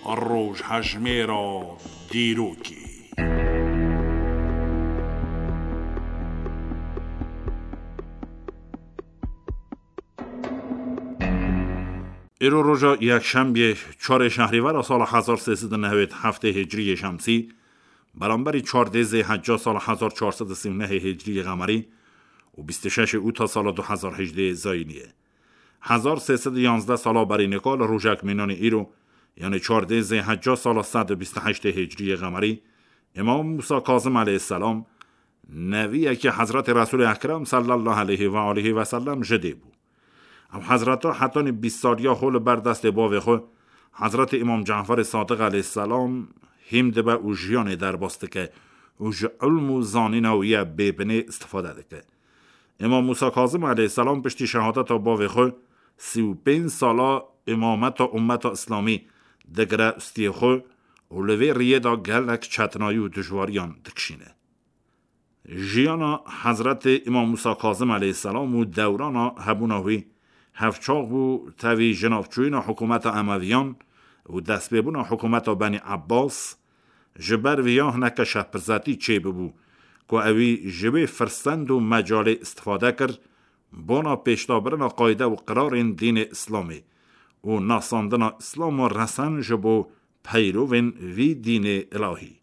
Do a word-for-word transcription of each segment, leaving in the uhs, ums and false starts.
Rojhejmêra dîrokê. Îro roja yekşembiyê, çarê şehrîvera sala hezar sê sed û newêd heftê hicriyê şemsî, beramberî çardê zêhecca sala hezar çar sed û sî û nehê hicriyê qemerî û bîst û şeşê ûta sala du hezar hejdê zayînî ye. Hezar sê sed û yanzdeh sala berî nika li rojek mînanî îro, yanî çardê zêhecca sala sed û bîst û heştê hicriyê qemerî, Îmam Musa Kazim aleyhisselam, neviyekî Hezretê Resûlê Ekrem sallallahu aleyhi ve aleyhi ve sellem ji dê bû. Ew Hezreta hetanî bîst saliya xwe li ber destê bavê xwe, Hezretê Îmam Caferê Sadiq aleyhisselam, hîm dibe û jiyanê derbas dike û ji ilm û zanîna wî ye bêbinê istifade dike. Îmam Musa Kazim aleyhisselam piştî şehadeta bavê xwe sî û pênc sala îmameta ummeta Îslamî digire ustiyê xwe û li vê riyê de gelek çetinayî û dijwariyan dikişîne. Jiyana Hezretê Îmam Musa Kazim aleyhisselam û dewrana hebûna wî hevçax bû tevî jinavçûyîna hikûmeta Emeviyan û destpêbûna hikûmeta Benî Ebbas, ji ber vê ya hineke şehpirzetî çêbibû ku ewî ji wê firsend û mecalê istifade kir, bona pêşdabirina qayde û qirarên dînê Îslamê û nasandina Îslama resen ji bo peyrovên vî dînê îlahî.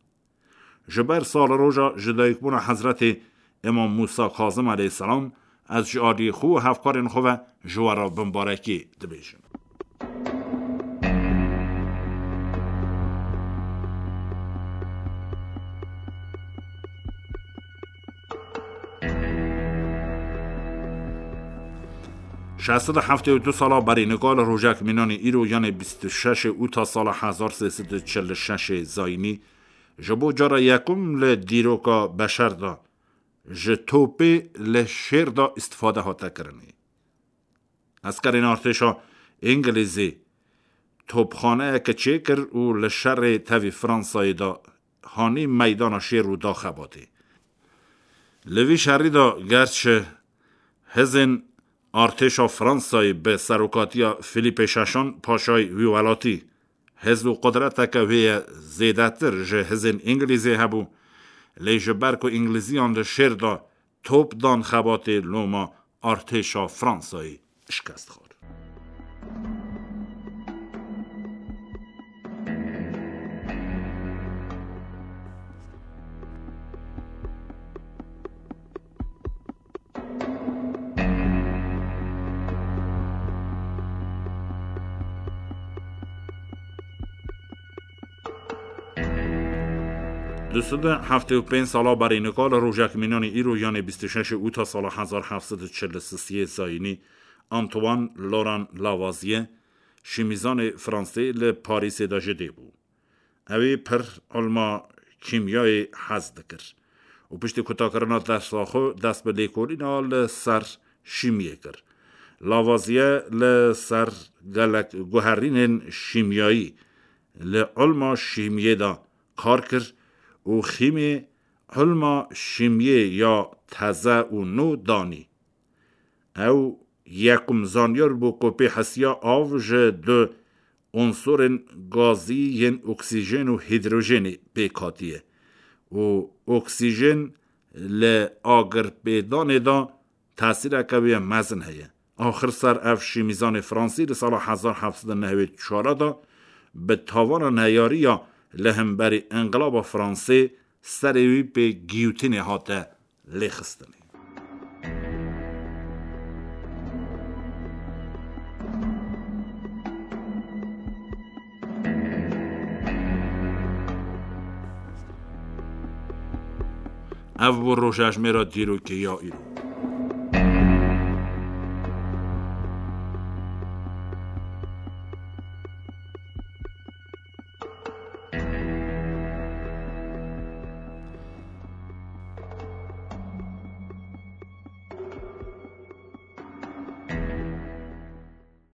Ji ber saliroja ji dayikbûna Hezretê Îmam Musa Kazim aleyhisselam, ez ji aliyê xwe û hevkarên xwe ve ji we re bimbarekî dibêjim. Şeş sed û heftê û du sala berî nika li rojek mînanî îro, yanê bîst û şeşê ûta sala hezar sê sed û çil û şeşê zayînî, ji bo cara yekum li dîroka beşer de ji topê li şêr de îstifade hate kirinê. Eskerên artêşa Îngilîzî topxaneyeke çêkir û li şerê tevî Fransayê de hanî meydana şêr û da xebatê. Li vî şerî de gerçi hizên artêşa Fransayê bi serokatiya Filîpê Şeşan, paşayê wî welatî, hiz û qudreteke wê ye zêdetir ji hizên Îngilîzê hebû, lê ji ber ku Îngilîziyan li şêr de top dan xebatê, loma artêşa Fransayê şikest xwar. Du sed û heftê û pênc sala berî nika li rojek mînanî îro, yanê bîst û şeşê ûta sala hezar heft sed û çil û sisiyê zayînî, Antoine Laurent Lavoisier, şîmîzanê Fransê, li Parîsê de ji dê bû. Ew ê pir ilma kîmyayê hez dikir û piştî kutakirina dersa xwe dest bi lêkolîna li ser şîmiyê kir. Lavoisier li ser gelek guherînên şîmyayî li ilma şîmiyê de kar kir û xîmê ilma şîmiyê ya teze û nû danî. Ew yekum zanyar bû ku pê hesiya av ji du unsurên gazî yên oksîjen û hîdrojenê pêk hatiye û oksîjen li agirpêdanê de tesîreke wê mezin heye. Axir ser ev şîmîzanê Fransî li sala hezar heft sed û newêd û çar de bi tawana neyariya li hemberî Înqilaba Fransê serê wî pê giyotînê hate lêxistinê. Ev bû rojejmêra dîrokê ya îro.